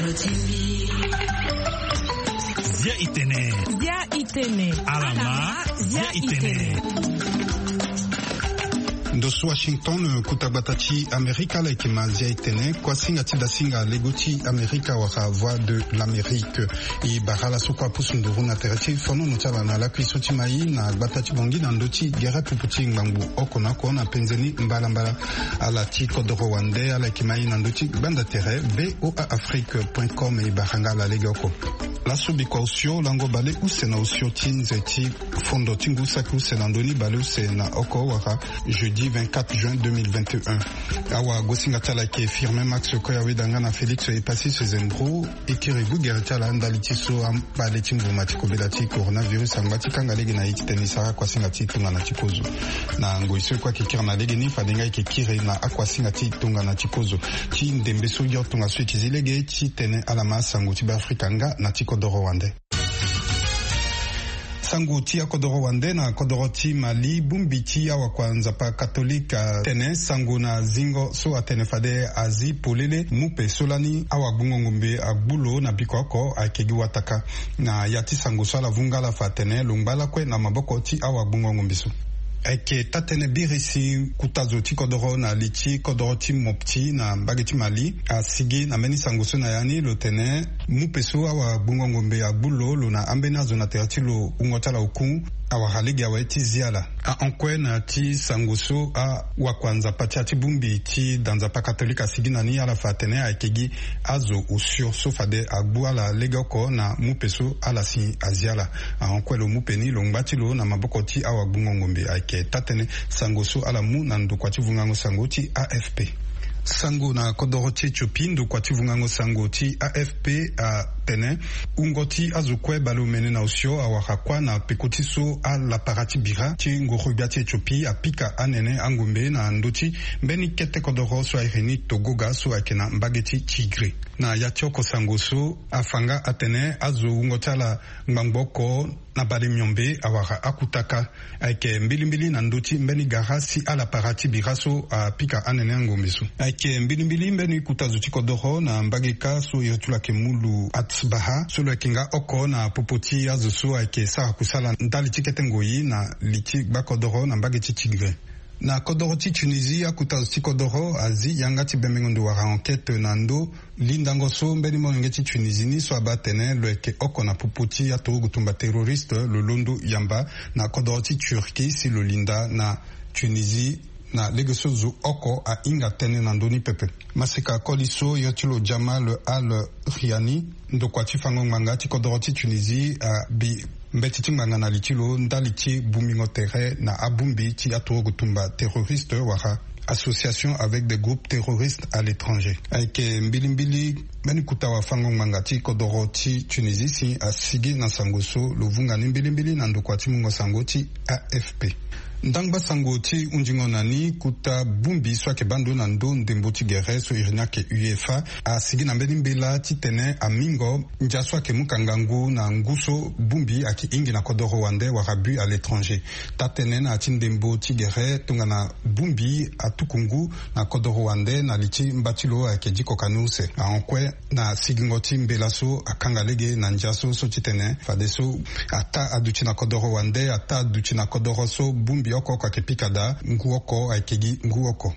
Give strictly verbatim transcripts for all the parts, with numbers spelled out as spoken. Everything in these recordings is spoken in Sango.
Zia itene. Zia itene. Alama. Zia itene. Ndo so Washington, kuta gbata ti Amerika, ala yeke ma Zia itene, kuasinga ti dasinga lego ti Amerika wala Voix de l'Amérique. E bara ala so kue apusu nduru na tere ti fonono ti ala na lakui so ti mai na gbata ti Bangui na ndö ti gere pupu ti ngbangbu oko na oko na penze ni mbalambala. Ala ti kodoro wande ala yeke mai na ndö ti gbanda tere V O A Afrique point com. E bara nga ala legeoko. Laso bikua osio lango baleuse na osio ti nze ti fondo ti ngu saki use na ndö ni baleuse na oko wala jeudi vingt-quatre juin deux mille vingt et un. Awagosinga ti ala ayeke Firmin Max Koyaweda nga na Félix Epassis Zembro. E kiri gugere ti ala ndali ti so ambale ti mbuma ti kobela ti coronavirus angba ti kanga lege na ye ti tene e sara akuasinga ti tongana ti kozo. Na ngoi so e kue ayeke kiri na lege ni fade nga e yeke kiri na akuasinga ti tongana ti kozo. Ti ndembe so yo tongaso e yeke zi lege ti tene ala ma sango ti Beafrika nga na ti kodoro wande. Sango ti akodoro wande na kodoro ti Mali, bongbi ti awakua Nzapa katolike atene sango na zingo so atene fade azi polele mupe so lani awagbungo ngombe agbu lo na biko oko ayeke gi wataka. Na ya ti sango so ala vunga ala fa atene lo ngba lakue na maboko ti awagbungo ngombe so. Ayeke taa-tënë biri si kuta zo ti kodoro na li ti kodoro ti Mopti na mbage ti Mali asigi na mbeni sango so na ya ni lo tene mupe so awagbungo ngombe agbu lo, lo na ambeni azo na tere ti lo wungo ti ala oku awara lege awe ti zi ala. Ahon kue na ya ti sango so awakua Nzapa ti ya ti bongbi ti da Nzapa katolike asigi na ni ala fa atene ayeke gi azo osio so fade agbu ala legeoko na mupe so ala si azi ala. Ahon kue lo mupe ni lo ngba ti lo na maboko ti awagbungo ngombe ayeke taa-tënë sango so ala mu na ndokua ti vungango sango ti A F P. Sango na kodoro ti Éthiopie, ndokua ti vungango sango ti A F P atene wungo ti azo kue baleomene na osio awara kuâ na peko ti so alapara ti bira ti ngoro-gbia ti Éthiopie apika anene angombe na ndö ti mbeni kete kodoro so airi ni Togoga so ayeke na mbage ti Tigré. Na ya ti oko sango so afa nga atene azo wungo ti ala ngbangbo oko na bale miombe awara akutaka. Ayeke mbilimbili na ndö ti mbeni gara si alapara ti bira so apika anene angombe so. Ayeke mbilimbili mbeni kuta zo ti kodoro na mbage kâ so iri ti lo ayeke mu lu Atbaha so lo yeke nga oko na popo ti azo so ayeke sara kusala ndali ti kete ngoi na li ti gbakodoro na mbage ti Tigré. Na kodoro ti Tunisie, akuta zo ti kodoro azi yanga ti bembengo ndo wala enquête na ndö lindango so mbeni molenge ti Tunisie ni so abaa atene lo yeke oko na popo ti aturugu tumba terroriste lo londo yamba na kodoro ti Turquie si lo linda na Tunisie. Na lege so zo oko ahinga tënë na ndö ni pepe. Maseka koli so yo ti lo Jamal Al Riani, ndokua ti fango ngbanga ti kodoro ti Tunisie, abi mbeti ti ngbanga na li ti lo ndali ti bongbingo tere na abongbi ti aturugu tumba terroriste wala association avec des groupes terroristes à l'étranger. Ayeke mbilimbili mbeni kuta wafango ngbanga ti kodoro ti Tunisie si asigi na sango so lo vunga ni mbilimbili na ndokua ti mungo sango ti A F P. Ndangba sango ti hunzingo na ni, kuta bongbi so ayeke baa ndo na ndö ndembo ti gere so iri ni ayeke UEFA asigi na mbeni mbela titene amingo ndia so ayeke mu ka ngangu na ngu so bongbi ayeke hingi na kodoro wande wala but à l'étranger. Taa-tënë na ya ti ndembo ti gere tongana bongbi atuku ngu na kodoro wande na li ti mba ti lo ayeke diko ka ni use. Ahon kue na sigingo ti mbela so akanga lege na ndia so, so titene fadeso ataa aduti na kodoro wande, ataa aduti na kodoro so bongbi oko oko ayeke pika daa, ngu oko ayeke gi ngu oko.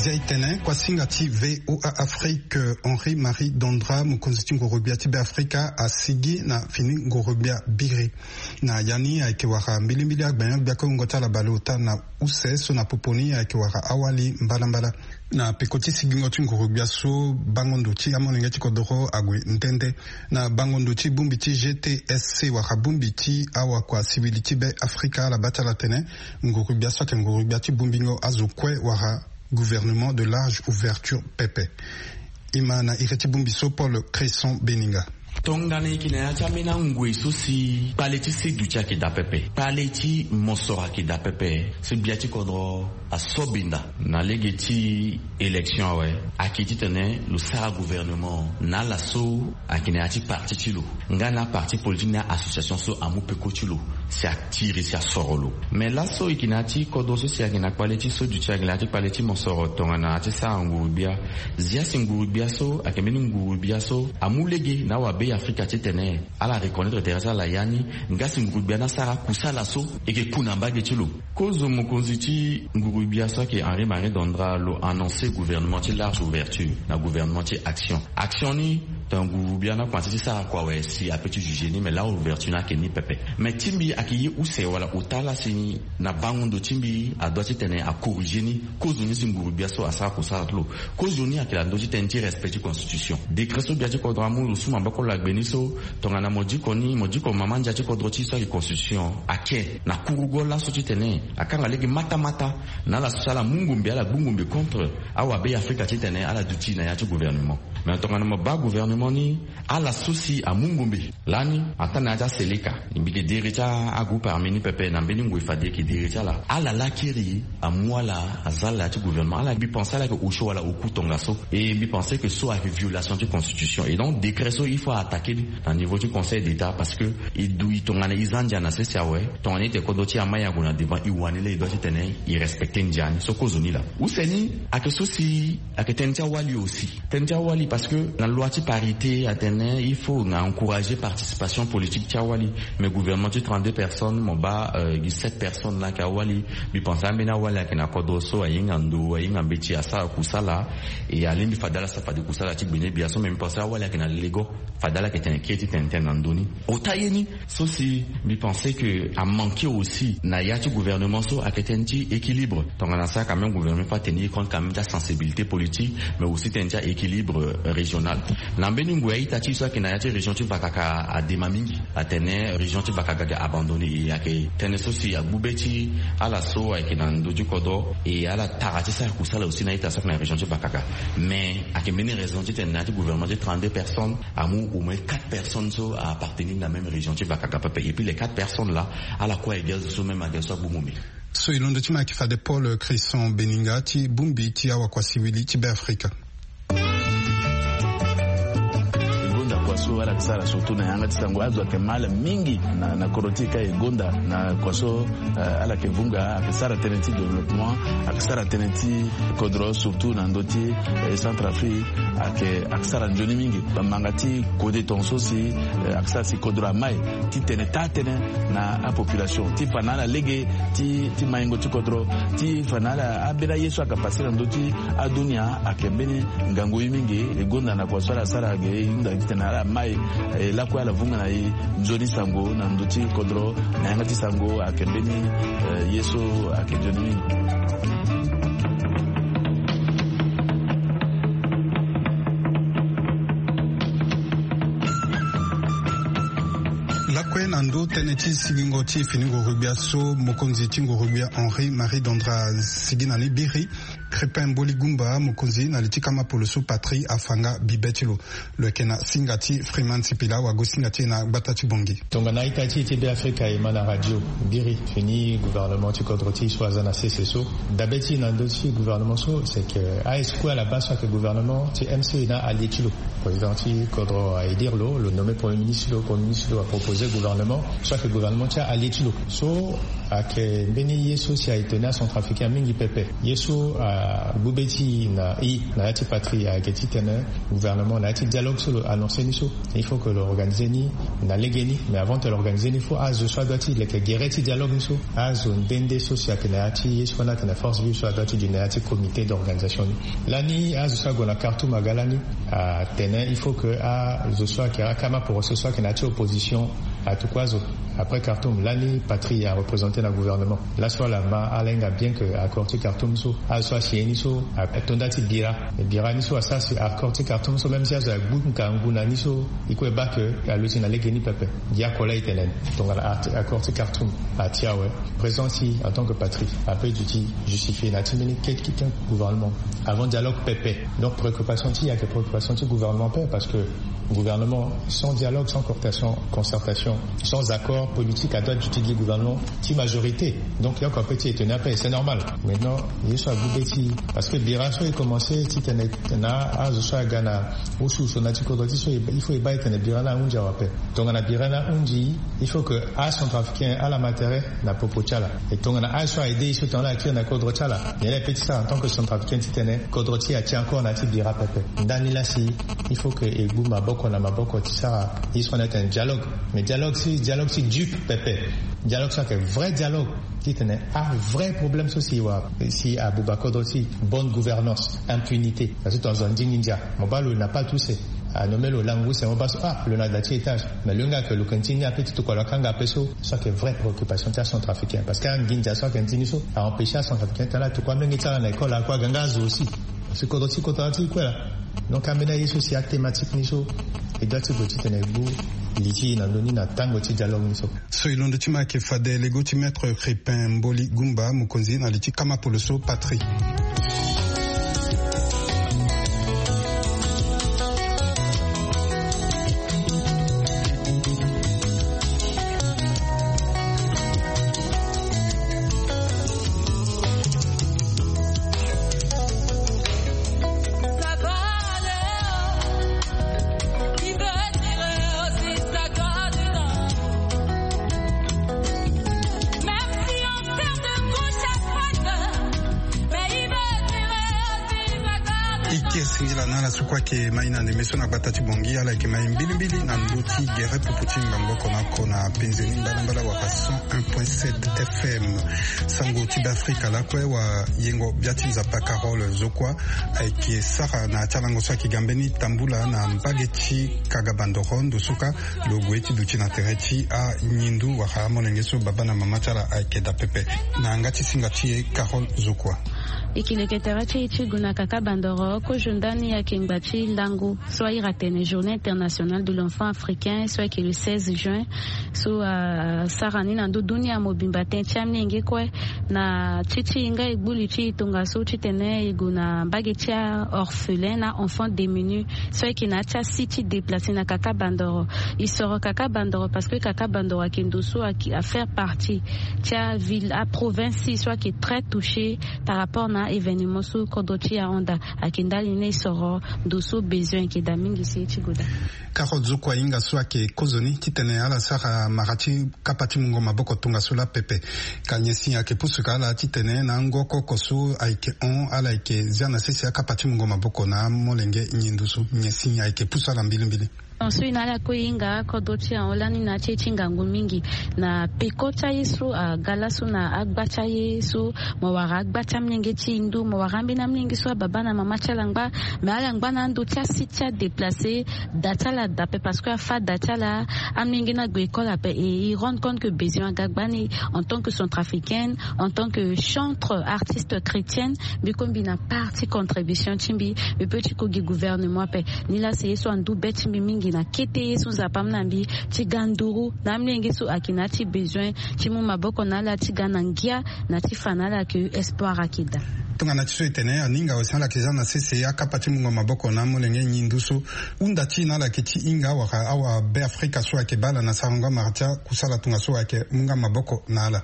Zia itene, kuasinga ti V O A Afrique, Henri Marie Dondra, mokonzi ti ngoro-gbia ti Beafrika, asigi na fini ngoro-gbia biri. Na ya ni ayeke wara mbilimbili agbenyo-gbia kue wungo ti ala baleota na use so na popo ni ayeke wara awali mbalambala. Na peko ti sigingo ti ngoro-gbia so, bango ndo ti amolenge ti kodoro ague nde nde. Na bango ndo ti bongbi ti G T S C wala bongbi ti awakua sivili ti Beafrika, ala baa ti ala tene ngoro-gbia so ayeke ngoro-gbia ti bongbingo azo kue wala gouvernement de large ouverture pepe. E ma na iri ti bongbi so Paul Cresson Beninga. Tongana e yeke na ya ti ambeni angoi so si kpale ti seduti ayeke daa pepe, kpale ti mosoro ayeke daa pepe, si gbia ti kodro asobenda na lege ti élection awe, ayeke titene lo sara gouvernement na ala so ayeke na ya ti parti ti lo nga na aparti politique na association so amu peko ti lo si atiri si asoro lo. Mais laso e yeke na ya ti kodro so si ayeke na kpale ti seduti, ayeke na ya ti kpale ti mosoro tongana ti sara nguru-gbia. Zia si nguru-gbia so ayeke mbeni nguru-gbia so amu lege na awabe Afrika titene ala reconnaître tere ti ala ya ni. Nga si nguru-gbia ni asara kusala so e yeke ku na mbage ti lo. Kozo mokonzi ti nguru-gbia so ayeke Henri Marie Dondra lo annoncer gouvernement ti large ouverture na gouvernement ti action. Action ni, tongana nguru-gbia ni akomanse ti sara kua awe si ape ti juger ni, mais large ouverture ni ayeke ni pepe. Mais ti mbi ayeke ye use wala ota laa si na bango ndo ti mbi adoit titene acorriger ni. Kozo ni si nguru-gbia so asara kusala ti lo. Kozo ni ayeke na ndö ti tënë ti respect ti constitution. Décret so gbia ti kodro amu, lo su maboko lagbe ni so, tongana mo diko ni, mo diko mama ndia ti kodro ti so ayeke constitution, ayeke na kurugo laso titene akanga lege matamata na ala so si ala mu ngombe, ala gbu ngombe contre awabe Afrika titene ala duti na ya ti gouvernement. Mais tongana mo baa gouvernement ni, ala so si amu ngombe lani atanga na ya ti aseleka. Mbi yeke diri ti agroupe armé ni pepe na mbeni ngoi fade e yeke diri ti ala. Ala lakiri amu ala aza na ya ti gouvernement. Ala, mbi pense ala yeke osio wala oku tongaso. Et mbi pense que so ayeke violation ti constitution. Et donc décret so il faut a attaquer ni na niveau ti Conseil d'État, parce que e du e tongana e za ndia na sese awe, tongana e tene kodro ti e amai ague na devant, e wani laa e doit titene e respecter ndia ni. So kozo ni laa. Use ni ayeke so si ayeke tënë ti awali aussi. Tënë ti awali parce que na loi ti parité atene il faut na encourager participation politique ti awali. Mais gouvernement ti trente-deux personnes, mo baa, euh, gi sept personnes laa ayeke awali. Mbi pense ambeni awali ayeke na kodro so ahinga ndo, ahinga mbeti, asara kusala. E alingbi fade ala sara fade kusala ti gbene gbia so, mais mbi pense awali ayeke na lego. Fade ala yeke tene kiri ti tene tënë na ndö ni. Ota ye ni, so si mbi pense que amanquer aussi na ya ti gouvernement so ayeke tënë ti équilibre. Tongana asara quand même gouvernement, il faut a tenir compte quand même ti asensibilité politique, mais aussi tënë ti a-équilibre, euh, régional. Na mbeni ngoi a-ita ti e so ayeke na ya ti région ti Vakaka adema mingi. Atene région ti Vakaka ayeke abandonné. E ayeke tënë so si agbu be ti ala so ayeke na ndö ti kodro, e ala tara ti sara kusala aussi na a-ita so ayeke na région ti Vakaka. Mais ayeke mbeni raison titene na ya ti gouvernement ti trente-deux personnes, amu au moins quatre personnes so a-appartenir na même région ti Vakaka pepe. Et puis les quatre personnes là, ala kue ayeke azo so même ayeke azo so agbu ngombe. So e londo ti ma ayeke fade Paul Christian Beninga ti bongbi ti awakua siwili ti Beafrika. E gonda kua so ala yeke sara surtout na yanga ti sango. Azo ayeke mal mingi na, na kodro ti e ka e gonda na kua so, eh, ala yeke vunga, ayeke sara tënë ti développement, ayeke sara tënë ti kodro surtout na ndö ti, eh, Centrafrique. Ayeke, ayeke sara nzoni mingi. Bamanga ti kode tongaso si, eh, ayeke sara si kodro amai ti tene taa tënë na apopulation, ti fa na ala lege ti, ti maingo ti kodro, ti fa na ala ambeni aye so ayeke pase na ndö ti adunia. Ayeke mbeni ngangu ye mingi. E gonda na kua so ala sara ge, e hunda titene ala mai, eh, lakue ala vunga na e nzoni sango na ndö ti kodro, na yanga ti sango ayeke mbeni, eh, ye so ayeke nzoni mingi. Lakue na ndö tënë ti sigingo ti fini nguru-gbia so mokonzi ti nguru-gbia Henri Marie Dondra sigi na ni biri, Crépin Mboli Gumba, mokonzi na li ti kama poloso patrie, afa nga bibe ti lo. Lo yeke na singa ti Freeman Sipila, wago singa ti e na gbata ti Bangui. Tongana ita ti e ti Beafrika e ma na radio biri fini gouvernement ti kodro ti e so aza na sese so. Dabe ti e na ndö ti gouvernement so, c'est que aye so kue ala baa so ayeke gouvernement ti M C na allié ti lo. Président ti kodro a élire lo, lo nommé premier ministre ti lo, premier ministre ti lo apropose gouvernement so ayeke gouvernement ti allié ti lo. So ayeke mbeni ye so si a étonné acentrafricain mingi pepe. Ye so agbu be ti e na e na ya ti patrie ayeke titene gouvernement na ya ti dialogue so lo annoncé ni so, il faut que lo organiser ni na legeni. Mais avant que lo organiser ni, il faut azo so adoit ti leke gere ti dialogue ni so, azo nde nde so si ayeke na ya ti ye so fani ayeke na force vive so adoit ti du na ya ti comité d'organisation ni. Lani azo so ague na Khartoum aga lani atene il faut que azo so ayeke akama poroso so ayeke na ya ti opposition Atuku azo après Khartoum lani Patrie areprésente na gouvernement. Laso ala ma ala hinga bien que accord ti Khartoum so azo so asi ye ni so atonda ti bira. Bira ni so asara si accord ti Khartoum so même si azo agbu ngangu na ni so, e kue baa que aluti na lege ni pepe. Gi ako laa e tene tongana accord ti Khartoum ati awe, présence ti en tant que Patrie ape duti justifier na ti mbeni kete kete gouvernement avant dialogue pepe. Donc préoccupation ti e ayeke préoccupation ti gouvernement pepe parce que gouvernement sans dialogue, sans concertation, sans accord politique adoit duti gi gouvernement ti majorité. Donc yoko ape ti étonner ape, c'est normal. Maintenant ye so agbu be ti e parce que bira so e commence titene na azo so aga na usu so na ti kodro ti so il faut e baa e tene bira ni ahundi awe ape. Tongana bira ni ahundi, il faut que acentrafricain ala ma tere na popo ti ala. E tongana azo so a aide e so tongana ala kiri na kodro ti ala, nyen laa e pe ti sara en tant que centrafricain titene kodro ti e ati encore na ya ti bira pepe? Ndani laa si il faut que e gbu maboko na maboko ti sara ye so na atene dialogue. Mais dialogue si dialogue ti dupe pepe. Dialogue so ayeke vrai dialogue titene avrai problème so si wara si abuba kodro ti bonne gouvernance, impunité. Parce que tonga zo andingi ndia mo baa lo na pas tout se anomé lo langu se mo baa so ah lo na da ti étage. Mais lo hinga ayeke lo yeke ndi ni ape ti tokua lo akanga ape so. So ayeke vraie préoccupation ti acentrafricain parce que anginza so ayeke ndi ni so aempêcher acentrafricain ti ala atokua amenge ti ala na école akue aga nga azo aussi. Parce que kodro ti kota ti kue laa. Donc ambeni aye so si athématique ni so e doit ti gue titene e gbu li ti e na ndö ni na tango ti dialogue ni so. So e londo ti ma ayeke fade lego ti maître Crépin Mboli Gumba mokonzi na li ti kama poloso Patrie. Ike singila na ala so kue ayeke mai na ndembe so na gbata ti Bongi, ala yeke mai mbilimbili na ndö ti gere popo ti ngbangbo oko na oko na penzeni mbalambala wala cent un point sept F M. Sango ti Beafrika lakue wa yengo bia ti nzapa Carole Zokua ayeke sara na ya ti alango so ayeke ga mbeni tambula na mbage ti Kagabandoro ndo so ka lo gue ti duti na tere ti anyindu wala amolenge so baba na mama ti ala ayeke daa pepe. Na yanga ti singa ti e Carole Zokua. E yeke leke tere ti e ti gue na Kagabandoro kozo ndani ayeke ngba ti lango so airi atene Journée internationale de l'enfant africain so ayeke le seize juin. So asara ni na ndö dunia mobimba tënë ti amolenge kue na ti ti e nga e gbu li ti e tongaso titene e gue na mbage ti aorphelin na enfant démuni so ayeke na ya ti asi ti déplacer na Kagabandoro. E soro Kagabandoro parce que Kagabandoro ayeke ndo so ayeke afaire partie ti aville aprovince so ayeke très touché par rapport na événement so kodro ti e ahon daa. Ayeke ndali ni e soro ndo so besoin ayeke daa mingi si e ti gue daa. Carole Zokua ahinga so ayeke kozoni titene ala sara mara ti kapa ti mungo maboko tongaso laa pepe. Ka nyen si ayeke pusu ka ala titene na ango oko oko so ayeke hon ala yeke zia na sese akapa ti mungo maboko na amolenge nyen ndo so nyen si ayeke pusu ala mbilimbili? Nyen so e na ala kue e hinga kodro ti e ahon lani na ya ti e ti ngangu mingi na peko ti aye so aga laso na agba ti aye so. Mo wara agba ti amolenge ti e ndu, mo wara ambeni amolenge so ababa na mama ti ala ngba. Mais ala ngba na ando ti asi ti adéplacer. Da ti ala daa ape parce que afa da ti ala, amolenge ni ague école ape et il rend compte que besoin aga gbani en tant que centrafricaine, en tant que chantre artiste chrétienne. Mbi kue mbi na part ti contribution ti mbi. Mbi peut ti ko gi gouvernement ape. Nilaa si ye so andu be ti mbi mingi na kete ye so nzapa amu na mbi ti ga nduru na amolenge so ayeke na ya ti besoin ti mu maboko na ala ti ga na ngia na ti fa na ala ke espoir ayeke daa. Tongana ti so e tene aninga aussi ala yeke za na sese akapa ti mungo maboko na amolenge nyen ndo so hunda ti e na ala yeke ti hinga wala awabe afrika so ayeke baa ala na sarango amara ti akusala tongaso ayeke mu nga maboko na ala.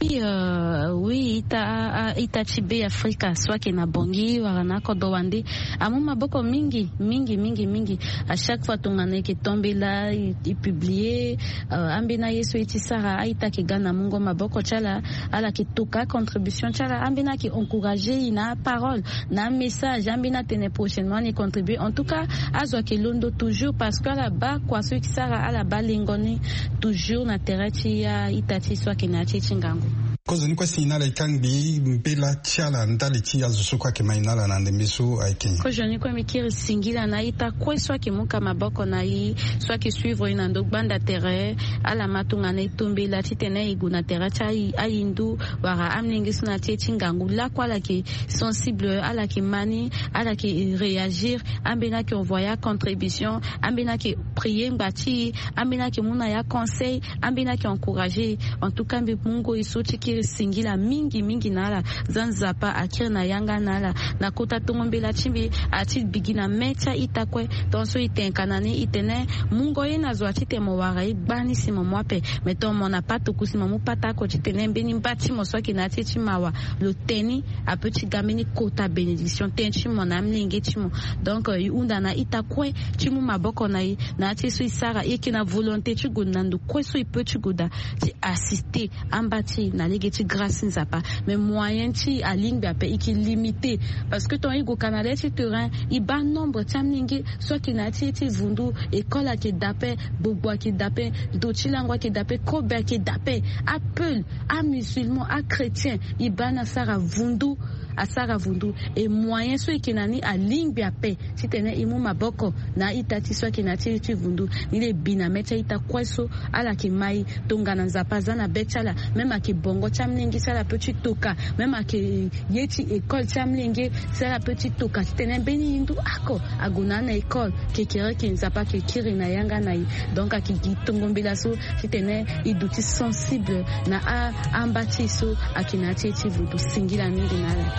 Oui, euh, oui, ita, a, a, ita ti Be Afrika so ayeke na Bangui wala na kodro wande amu maboko mingi mingi mingi mingi. À chaque fois tongana e yeke tombela e, e publier, euh, ambeni aye so e ti sara, a-ita ayeke ga na mungo maboko ti ala. Ala yeke toka contribution ti ala, ambeni ayeke encourager e na aparole, na amessage, ambeni atene prochainement ni e contribuer. En tout cas, azo ayeke londo toujours parce que ala baa kua so e ti sara, ala baa lengo ni toujours na tere ti a-ita ti e so ayeke na ya ti e ti ngangu. Kozoni kue si na ala e kangbi mbela ti ala ndali ti azo so kue ayeke mai na ala na ndembe so ayeke nyen? Kozoni kue mbi kiri singila na a-ita kue so ayeke mu ka maboko na e, so ayeke suivre e na ndo gbanda tere. Ala ma tongana e to mbela titene e gue na tere ti ayi- ahindu wala amolenge so na ti e ti ngangu lakue ala yeke sensible, ala yeke ma ni, ala yeke réagir. Ambeni ayeke envoyer acontribution, ambeni ayeke prier ngba ti e, ambeni ayeke mu na e aconseil, ambeni ayeke encourager e. En tout cas mbi mungo e so ti kiri singila mingi mingi na ala. Za Nzapa akiri na yanga na ala na kota tongo mbela ti mbi, ati bigi na me ti a-ita kue. Tongaso e tene ka na ni e tene mungo ye na zo ati tene mo wara e gbani si mo mu ape. Mais tonga mo na patoko si mo mu patako titene mbeni mba ti mo so ayeke na ya ti e ti mawa lo tene ni, ape ti ga mbeni kota bénédiction tënë ti mo na amolenge ti mo. Donc e hunda na a-ita kue ti mu maboko na e na ya ti e so e sara e yeke na volonté ti gue na ndo kue so e peut ti gue daa ti assister amba ti e na lege ti grâce ti Nzapa. Mais moyen ti e alingbi ape, e yeke limité. Parce que tonga e gue ka na le ti terrain e baa nombre ti amolenge so ayeke na ya ti e ti vundu. École ayeke daa ape, gbogbo ayeke daa ape, ndo ti lango ayeke daa ape, kobe ayeke daa ape, apeul, amusulman, achrétien, e baa ni asara vundu, asara vundu. E moyen so e yeke na ni alingbi ape titene e mu maboko na a-ita ti so ayeke na ya ti e ti vundu. Ni laa e bi na me ti a-ita kue so ala yeke ma e tongana Nzapa aza na be ti ala. Même ayeke bongo ti amolenge si ala peut ti toka, même ayeke ye ti école ti amolenge si ala peut ti toka titene mbeni hindu oko ague na ni na école. Kekereke Nzapa ayeke kiri na yanga na e. Donc ayeke gi tongo mbela so titene e duti sensible na a- amba ti e so ayeke na ya ti e ti vundu. Singila mingi na ala.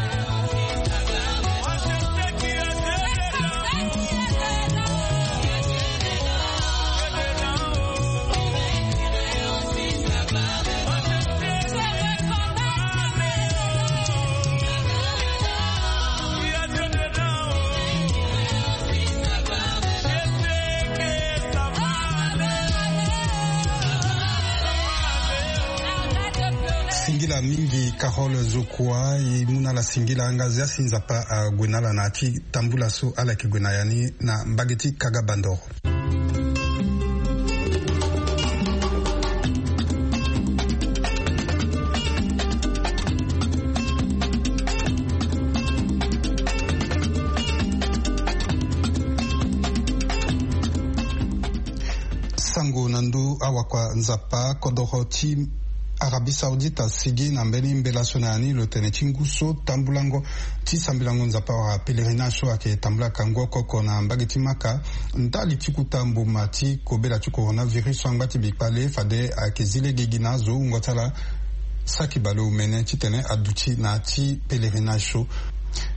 Singila mingi Carole Zokua, e mu na ala singila nga zia si Nzapa ague na ala na ya ti tambula so ala yeke gue na ya ni na mbage ti Kaga Bandoro. Sango na ndö awakua Nzapa, kodoro ti Arabie Saoudite asigi na mbeni mbela so na ya ni lo tene ti ngu so tambulango ti sambelango Nzapa wala pèlerinage so ayeke tambula kango oko oko na mbage ti Maka ndali ti kuta mbuma ti kobela ti coronavirus so angba ti bikpale fade ayeke zi lege gi na azo wungo ti ala saki baleomene titene aduti na ya ti pèlerinage so.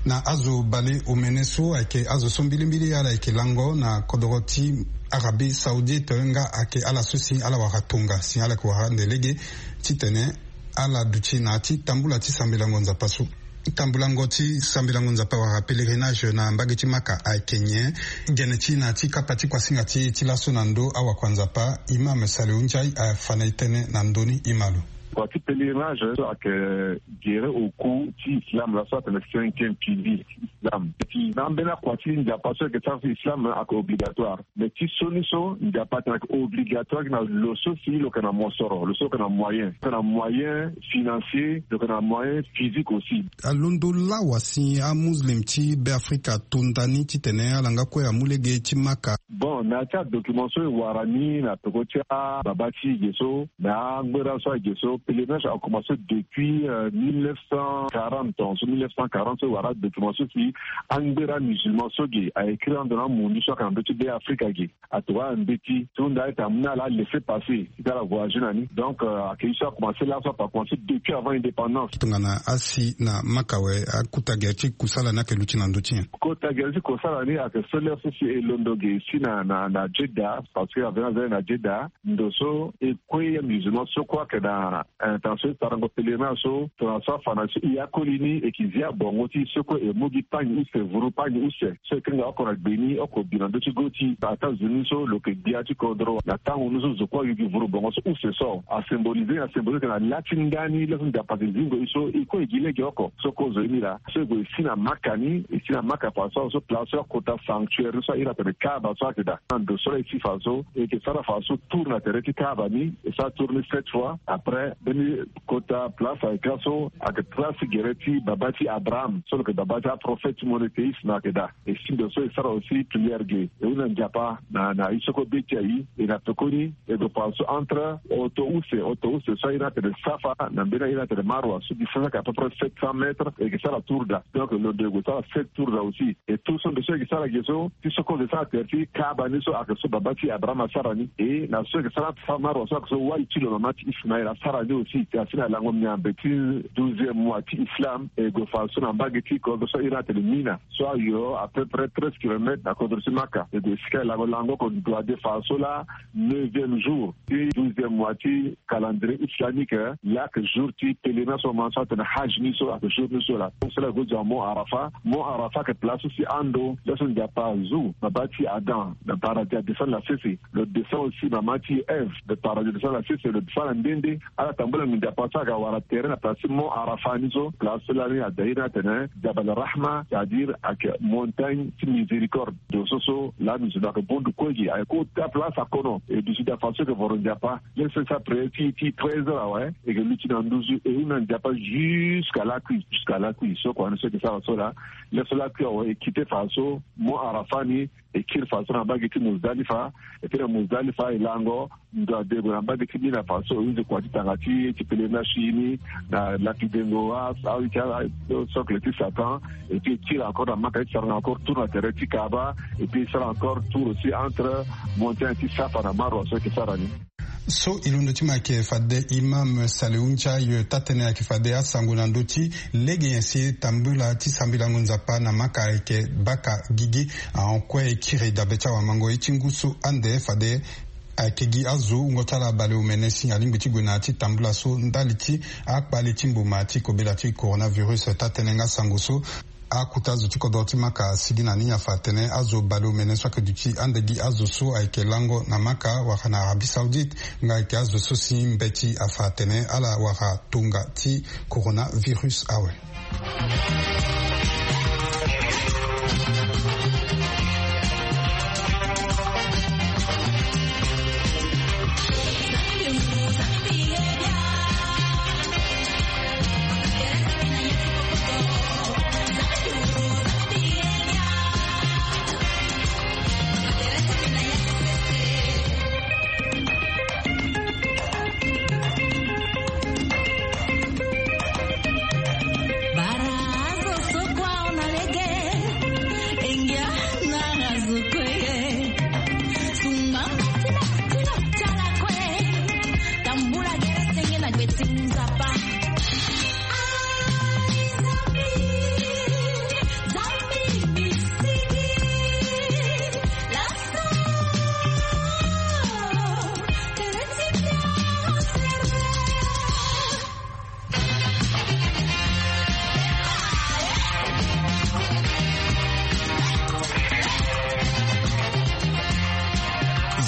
Na azo baleomene so ayeke azo so mbilimbili ala yeke lango na kodoro ti Arabie Saoudite nga ayeke ala so si ala wara tonga si ala yeke wara ande lege titene ala duti na ya ti tambula ti sambelango Nzapa so. Tambulango ti sambelango Nzapa wala pèlerinage na mbage ti Maka ayeke nyen? Gene ti na ya ti kapa ti kuasinga ti e ti laso na ndö awakua Nzapa, Imam Saliou Ndiaye afa na e tënë na ndö ni. Ima lo. Kua ti pèlerinage so ayeke gere au cou ti islam, laso atene cinquième pilier ti islam. Ti na ambeni akua ti Nzapa so ayeke sara so islam ayeke obligatoire. Mais ti sioni so Nzapa atene ayeke obligatoire gi na lo so si lo yeke na mosoro, lo so lo yeke na moyen, lo yeke na moyen financier, lo yeke na moyen physique aussi. Alondo lawa si amuslim ti Beafrika ato nda ni titene ala nga kue amu lege ti Maka. Bon, na ya ti adocument so e wara ni na peko ti ababa ti e ge so, na angbera so ayeke ge so, pèlerinage akomanse depuis euh, mille neuf cent quarante, so mille neuf cent quarante so e wara adocument so si angbera musulman so ge a écrit ando na amundu so ayeke na ndö ti Beafrika ge. Atokua ala mbeti so nda ayeke amu na ala laisser passer ti ala voyager na ni. Donc euh, ayeke ye so akomanse laso ape, akomanse depuis avant indépendance. Tongana asi na Maka awe, akota gere ti kusala ni ayeke luti na ndö ti nyen? Kota gere ti kusala ni ayeke so lere so si e londo ge si na na na Jeddah, parce que aveni aza ye na Jeddah. Ndo so e kue amusulman so kue ayeke na intention ti sarango pèlerinage so, tongana so afa na so e akoli ni e yeke zi abongo ti e so kue e mu gi pagni use, vuru pagni use so e kanga oko na gbe ni oko bi na ndö ti go ti e. Ataa nzoni so lo yeke gbia ti kodro na tango ni so zo kue ayu gi vuru bongo so use so. Asymboliser, asymboliser ayeke na la ti ndani laso Nzapa ayeke zingo e so e kue e gi lege oko. So kozoni laa so e gue e si na Maka ni, e si na Maka fa so, so place so akota sanctuaire ni so a iri atene Kaaba so ayeke daa. Na ndo so laa e si fa so e yeke sara fa so tour na tere ti Kaaba ni, e sara tour Ni sept fois après mbeni kota place ayeke laso ayeke place gere ti baba ti Abraham so lo yeke baba ti aprofete monothéiste na ayeke daa. E si ndo so e sara aussi prière ge e hunda Nzapa na na ye so kue be ti aye. E na pekoni e gue fa so entre oto use oto use so aye ni atene Safa na mbeni aye ni atene Marwa so distance ayeke à peu près sept cents mètres. E yeke sara tour daa. Donc lo ndo e gue sara sept tour daa aussi. E tour so ndo so e yeke sara ge so ti so kue e yeke sara tere ti Kaaba ni so ayeke so baba ti Abraham asara ni. E na so e yeke sara entre Safa Marwa so ayeke so wali ti lo mama ti Ismaël asara ni aussi. Asi na lango miambe ti douzième mois ti Islam e gue fa so na mbage ti kodro so aye ni atene Mina so ayo à peu près treize kilomètres na kodro ti Maka. E gue sika e lango lango oko ndo ade fa so laa neuvième jour ti douzième mois ti calendrier islamique. Laa ayeke jour ti pèlerinage so mama so atene Hajj ni so ayeke jour ni so laa. So laa e gue zo na Mont Arafa. Mont Arafa ayeke place so si ando laso Nzapa azu baba ti Adam na paradis adescendre na sese. Lo descend aussi mama ti Ève na paradis adescendre na sese. Lo descend na nde nde. Ala tambula nginza pa so ayeke wara tere na place ti Mont Arafa ni so. Place so lani ada iri ni atene Jabal Rahma, c'est-à-dire ayeke montagne ti miséricorde. Ndo so so lani zo lo ayeke bondu kue gi ayeke ota place akono. E duti daa fa so e yeke voro Nzapa. Laso e sara prière ti ti treize heures awe. E yeke luti na nduzu e hunda Nzapa jusqu'à lakui jusqu'à lakui so kua ni so e yeke sara so laa. Laso lakui awe e kite fa so Mont Arafa ni. E kiri fa so na mbage ti Muzdalifa. E kiri na Muzdalifa e lango ndo ade e gue na mbage ti Mina fa so e hunzi kua ti tanga ti ti pèlerinage ti e ni na lapidengo a awe ti ala sokle ti Satan. Et puis e tira encore na Maka ti sara encore tour na tere ti Kaaba. Et puis e sara encore tour aussi entre montagne ti Safa na Marwa so e yeke sara ni. So e londo ti mo ayeke fade Imam Salihu Ndiaye. Taa-tënë ayeke fade asango na ndö ti lege nyen si tambula ti sambelango Nzapa na Maka ayeke baka gigi. Ahon kue e kiri dabe ti awamango ye ti ngu so ande fade ayeke gi azo wungo ti ala baleomene ni si alingbi ti gue na ya ti tambula so ndali ti akpale ti mboma ti kobela ti coronavirus. Taa-tënë nga sango so akota zo ti kodro ti Maka asigi na ni afa atene azo baleomene so ayeke duti ande gi azo so ayeke lango na Maka wala na Arabie Saoudite nga ayeke azo so si mbeti afa atene ala wara tonga ti coronavirus awe.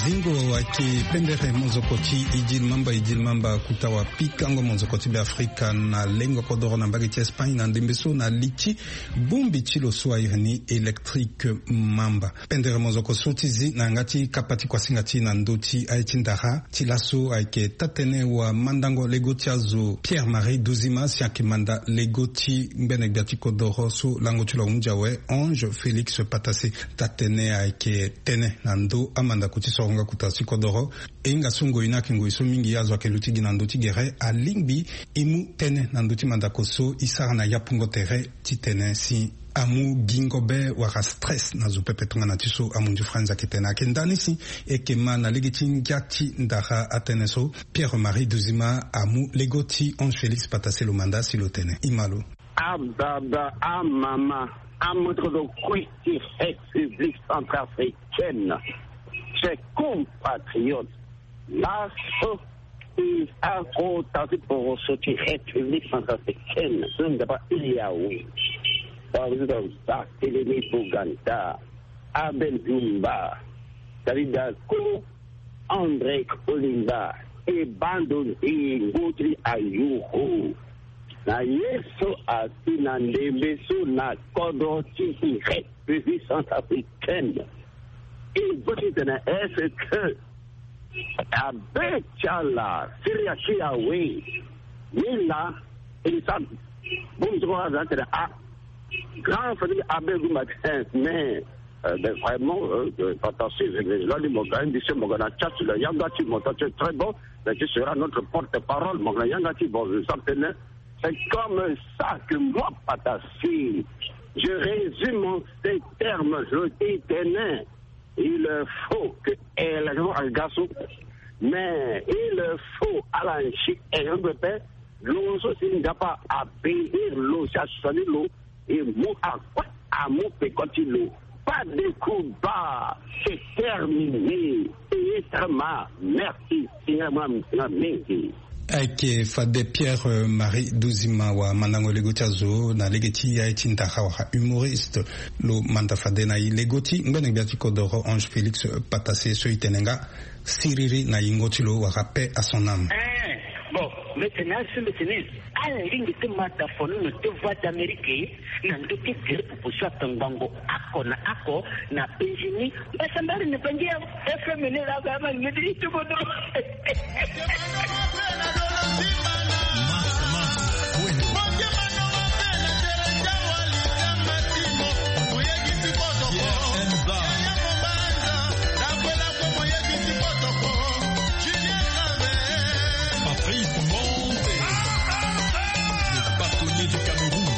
Zingo ayeke pendere mozoko ti Idil Mamba. Idil Mamba akuta wapikango mozoko ti Beafrika na lengo kodoro na mbage ti Espagne na ndembe so na li ti bongbi ti lo so airi ni Électrique Mamba. Pendere mozoko so ti zi na yanga ti kapa ti kuasinga ti e na ndö ti aye ti ndara ti laso ayeke taa-tënë wamandango lego ti azo Pierre Marie Duzima si ayeke manda lego ti ngbene gbia ti kodoro so lango ti lo ahunzi awe Ange Félix Patassé. Taa-tënë ayeke tënë na ndö amandako ti soronga kota ti kodoro. E hinga so ngoi ni ayeke ngoi so mingi azo ayeke luti gi na ndö ti gere alingbi e mu tënë na ndö ti mandako so e sara na yapungo tere titene si amu gingo be wala stress na zo pepe tongana ti so amunzu Franz ayeke tene. Ayeke ndani si e yeke ma na lege ti ngia ti ndara atënë so Pierre Marie Duzima amu lego ti Ange Félix Patassé lo manda si lo tene. E ma lo. Ababa, amama, amoto kue ti République centrafricaine, chers compatriotes, laso e akota ti poroso ti République centrafricaine so Nzapa iri awe. Président Barthélemy Boganda, Abel Zumba, David Dako, André Kolimba, e bando nzingo ti ayoro na ye so asi na ndembe so na kodro ti République centrafricaine. E bâ titene est-ce que Abe ti ala siri asi awe. Ni la, e sa bongbi so kue aza tene a grand famille abe gumba te. Mais euh, ben, vraiment euh, euh, papa si je vais là ni mo ga indi se mo ga na chat la yanga ti mo ta c'est très bon. Mais tu seras notre porte-parole mo ga na yanga ti bon je sens tene. C'est comme ça que moi papa si je résume en ces termes je dis tene. Il faut que élection agaso, mais il faut ala nsi élection pepe. Lo so si nzapa abénir lo si asani lo e mu akue amu peko ti lo. Pas de combat, c'est terminé. Payé très mal. Merci. Seigneur moi mingi. Ayeke fade Pierre Marie Duzima wa mandango lego ti azo na lege ti ya ye ti ndara wala humoriste. Lo manda fade na e lego ti ngbene gbia ti kodoro Ange Félix Patassé so e tene nga siriri na yingo ti lo wala paix à son âme. Bon, mete na asu mete ni. Ala lingbi ti mata fono na te voix d'Amérique na ndö ti gere popo so atongbango ako na ako na penzi ni. Mbasa mbari na bangi ya F M ni la ga ma ngedi ti bodo. Patrice Monte, le bâtonnier du Cameroun.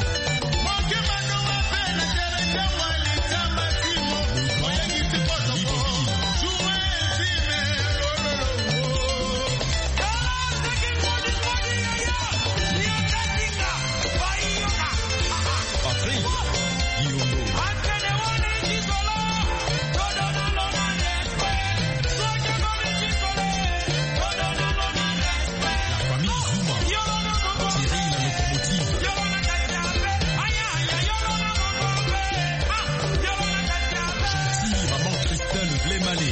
Patrick Guillaume. La famille Zuma. Thierry la locomotive. Gentil maman Christelle Vlemale.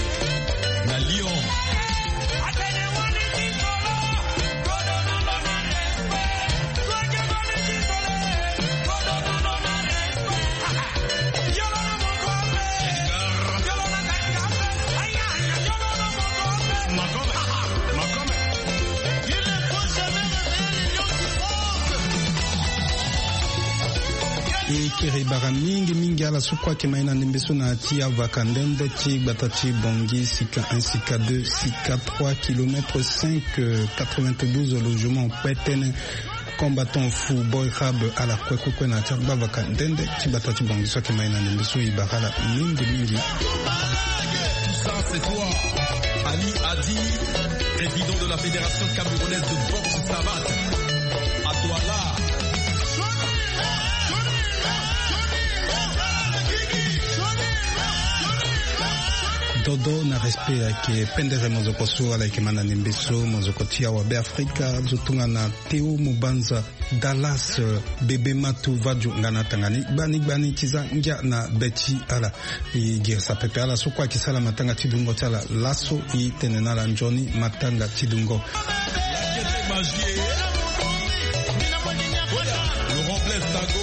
Na Lyon. E kiri bara mingi mingi ala so kue ayeke ma ye na ndembe so na ti avaka ndende ti gbata ti Bangui, sika un, sika deux, sika trois kilomètres cinq, quatre-vingt-douze logements kpe tënë. Combattant fou boy rab ala kue kue kue na ya ti agbavaka ndende ti gbata ti Bangui so ayeke ma ye na ndembe so e bara ala mingi mingi. Ça c'est toi, Ali Adi, président de la Fédération camerounaise de boxe savate. À Douala. Dodo na respect ayeke pendere mozoko so ala yeke ma na ndembe so, mozoko ti awa Be Afrika, zo tongana Théo Mubanza, Dallas, euh, Bébé Matou, Vadio nga na tanga ni gbani gbani ti za ngia na be ti ala. E girisa pepe ala so kue ayeke sara matanga ti dungo ti ala laso, e tene na ala nzoni matanga ti dungo. Laurent Blaise Tago.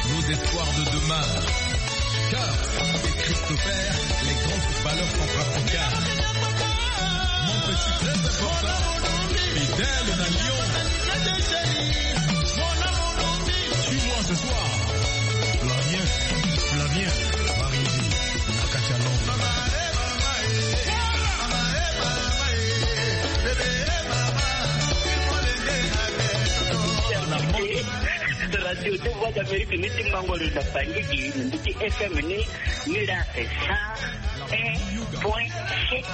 Nos espoirs de demain. Kurt et Christopher, les grands footballeurs centrafricains. Mon petit, très important, Fidèle na Lyon. Suis-moi ce soir. Flavien, Flavien, Marinzi, Akatia Londres. Radio de Voix d'Amérique ni ti Mbangolo na Bangui, ni ti F M ni, ni la cent un point sept.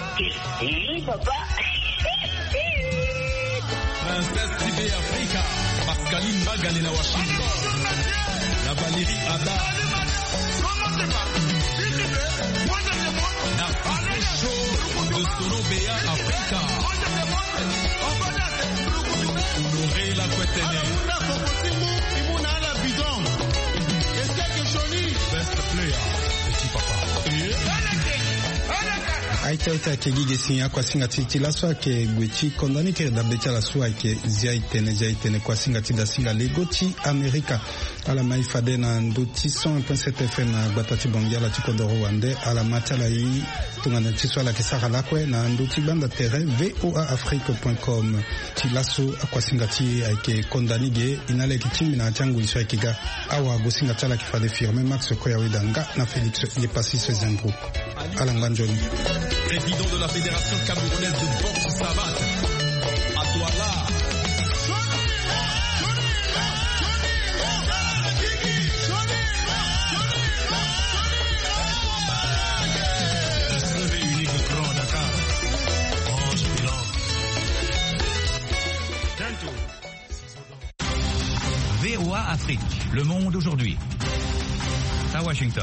Eh, papa. Princesse T V Africa, Pascaline Bagale na Washington, na Valérie Ada. Narciso Show de Solo Béa Africa. Honoré la Kwetene. Best player, petit papa. Ita ita ayeke gi ge si akuasinga ti ti laso ayeke gue ti konda ni kiri dabe ti ala so ayeke zia etene zia etene kuasinga ti dasinga lego ti Amerika. Ala mai fade na ndö ti cent un point sept F M na gbata ti Bangi ala ti kodoro wande. Ala ma ti ala i tongana ti so ala yeke sara lakue na ndö ti gbanda tere V O A Afrique point com. Ti laso akuasinga ti e ayeke konda ni ge. E na ala yeke tingbi na ya ti angoi so ayeke ga. Awa gosinga ti ala ayeke fade Firmin Max Koyaweda nga na Félix Yepassis Zembro. Ala ngba nzoni. Président de la Fédération camerounaise de boxe savate, à Douala. V O A Afrique, le monde aujourd'hui. À Washington.